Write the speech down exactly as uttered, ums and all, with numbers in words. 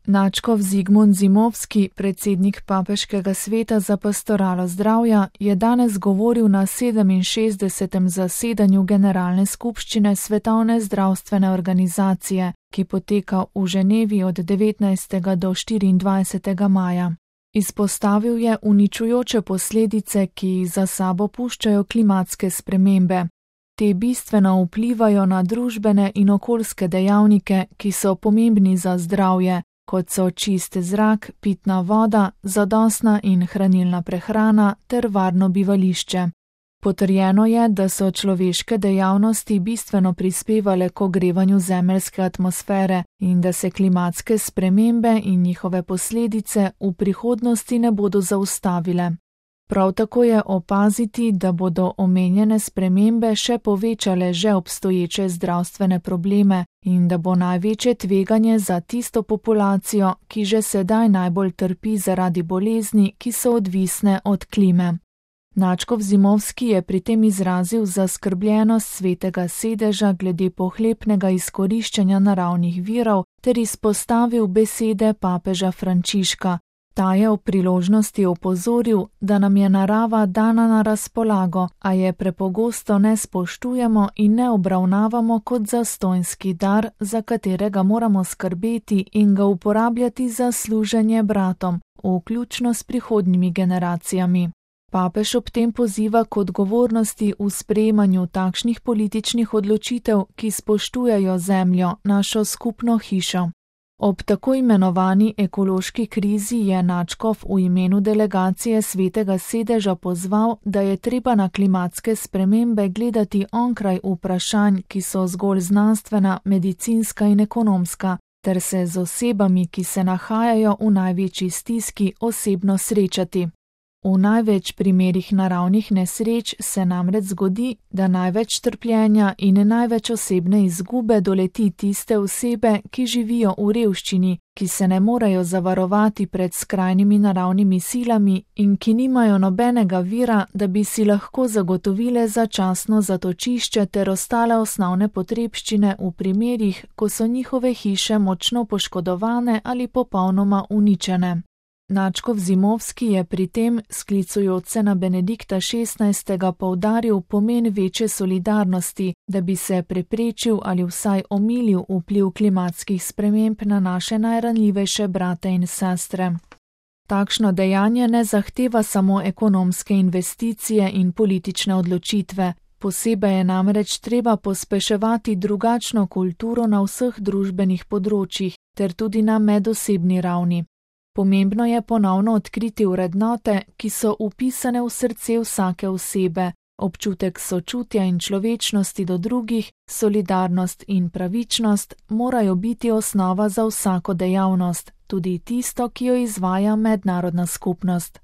Nadškof Zigmund Zimovski, predsednik Papeškega sveta za pastoralo zdravja, je danes govoril na sedeminšestdesetem zasedanju Generalne skupščine Svetovne zdravstvene organizacije, ki poteka v Ženevi od devetnajstega do štiriindvajsetega maja. Izpostavil je uničujoče posledice, ki jih za sabo puščajo klimatske spremembe. Te bistveno vplivajo na družbene in okoljske dejavnike, ki so pomembni za zdravje, kot so čist zrak, pitna voda, zadostna in hranilna prehrana ter varno bivališče. Potrjeno je, da so človeške dejavnosti bistveno prispevale k ogrevanju zemeljske atmosfere in da se klimatske spremembe in njihove posledice v prihodnosti ne bodo zaustavile. Prav tako je opaziti, da bodo omenjene spremembe še povečale že obstoječe zdravstvene probleme in da bo največje tveganje za tisto populacijo, ki že sedaj najbolj trpi zaradi bolezni, ki so odvisne od klime. Nadškof Zimovski je pri tem izrazil zaskrbljenost Svetega sedeža glede pohlepnega izkoriščanja naravnih virov ter izpostavil besede papeža Frančiška. Ta je v priložnosti opozoril, da nam je narava dana na razpolago, a je prepogosto ne spoštujemo in ne obravnavamo kot zastonjski dar, za katerega moramo skrbeti in ga uporabljati za služenje bratom, vključno s prihodnjimi generacijami. Papež ob tem poziva k odgovornosti v sprejemanju takšnih političnih odločitev, ki spoštujejo zemljo, našo skupno hišo. Ob tako imenovani ekološki krizi je nadškof v imenu delegacije Svetega sedeža pozval, da je treba na klimatske spremembe gledati onkraj vprašanj, ki so zgolj znanstvena, medicinska in ekonomska, ter se z osebami, ki se nahajajo v največji stiski, osebno srečati. V največ primerih naravnih nesreč se namreč zgodi, da največ trpljenja in največ osebne izgube doleti tiste osebe, ki živijo v revščini, ki se ne morejo zavarovati pred skrajnimi naravnimi silami in ki nimajo nobenega vira, da bi si lahko zagotovile začasno zatočišče ter ostale osnovne potrebščine v primerih, ko so njihove hiše močno poškodovane ali popolnoma uničene. Nadškof Zimovski je pri tem, sklicujoč se na Benedikta šestnajstega, poudaril pomen večje solidarnosti, da bi se preprečil ali vsaj omilil vpliv klimatskih sprememb na naše najranljivejše brate in sestre. Takšno dejanje ne zahteva samo ekonomske investicije in politične odločitve, posebej je namreč treba pospeševati drugačno kulturo na vseh družbenih področjih ter tudi na medosebni ravni. Pomembno je ponovno odkriti vrednote, ki so vpisane v srce vsake osebe, občutek sočutja in človečnosti do drugih, solidarnost in pravičnost morajo biti osnova za vsako dejavnost, tudi tisto, ki jo izvaja mednarodna skupnost.